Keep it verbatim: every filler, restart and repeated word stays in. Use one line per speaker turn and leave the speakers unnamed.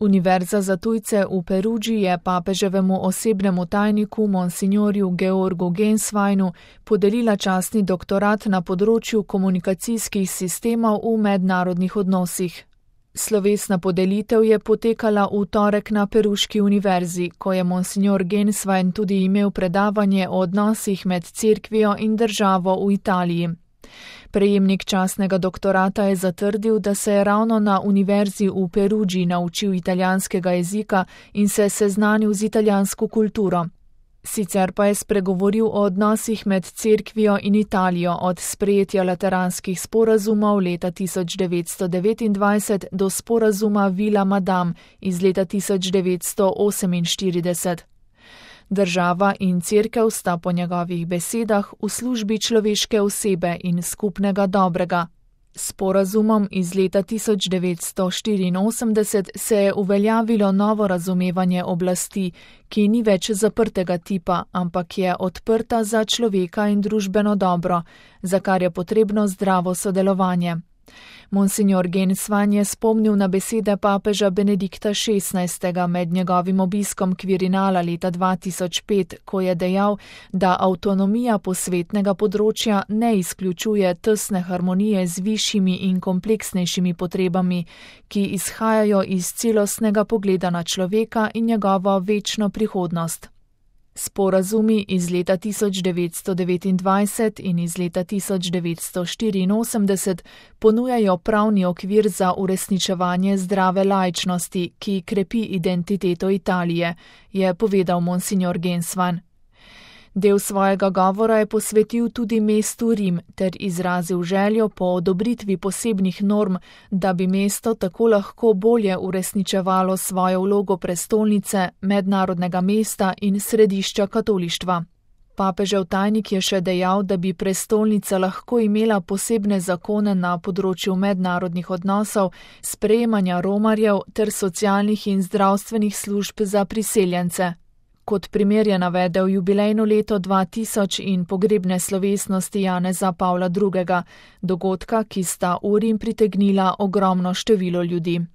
Univerza za tujce v Perudži je papeževemu osebnemu tajniku monsignorju Georgu Gensweinu podelila častni doktorat na področju komunikacijskih sistemov v mednarodnih odnosih. Slovesna podelitev je potekala v torek na Peruški univerzi, ko je monsignor Genswein tudi imel predavanje o odnosih med cerkvijo in državo v Italiji. Prejemnik častnega doktorata je zatrdil, da se je ravno na univerzi v Perudži naučil italijanskega jezika in se seznanil z italijansko kulturo. Sicer pa je spregovoril o odnosih med cerkvijo in Italijo od sprejetja lateranskih sporazumov leta tisoč devetsto devetindvajset do sporazuma Villa Madame iz leta tisoč devetsto oseminštirideset. Država in cerkev sta po njegovih besedah v službi človeške osebe in skupnega dobrega. S sporazumom iz leta tisoč devetsto štiriinosemdeset se je uveljavilo novo razumevanje oblasti, ki ni več zaprtega tipa, ampak je odprta za človeka in družbeno dobro, za kar je potrebno zdravo sodelovanje. Monsignor Genswein je spomnil na besede papeža Benedikta šestnajstega med njegovim obiskom Kvirinala leta dva tisoč pet, ko je dejal, da avtonomija posvetnega področja ne izključuje tesne harmonije z višjimi in kompleksnejšimi potrebami, ki izhajajo iz celostnega pogleda na človeka in njegovo večno prihodnost. Sporazumi iz leta tisoč devetsto devetindvajset in iz leta tisoč devetsto štiriinosemdeset ponujajo pravni okvir za uresničevanje zdrave laičnosti, ki krepi identiteto Italije, je povedal monsignor Genswein. Del svojega govora je posvetil tudi mestu Rim ter izrazil željo po odobritvi posebnih norm, da bi mesto tako lahko bolje uresničevalo svojo vlogo prestolnice, mednarodnega mesta in središča katolištva. Papežev tajnik je še dejal, da bi prestolnica lahko imela posebne zakone na področju mednarodnih odnosov, sprejemanja romarjev ter socialnih in zdravstvenih služb za priseljence. Kot primer je navedel jubilejno leto dva tisoč in pogrebne slovesnosti Janeza Pavla drugega, dogodka, ki sta v Rim pritegnila ogromno število ljudi.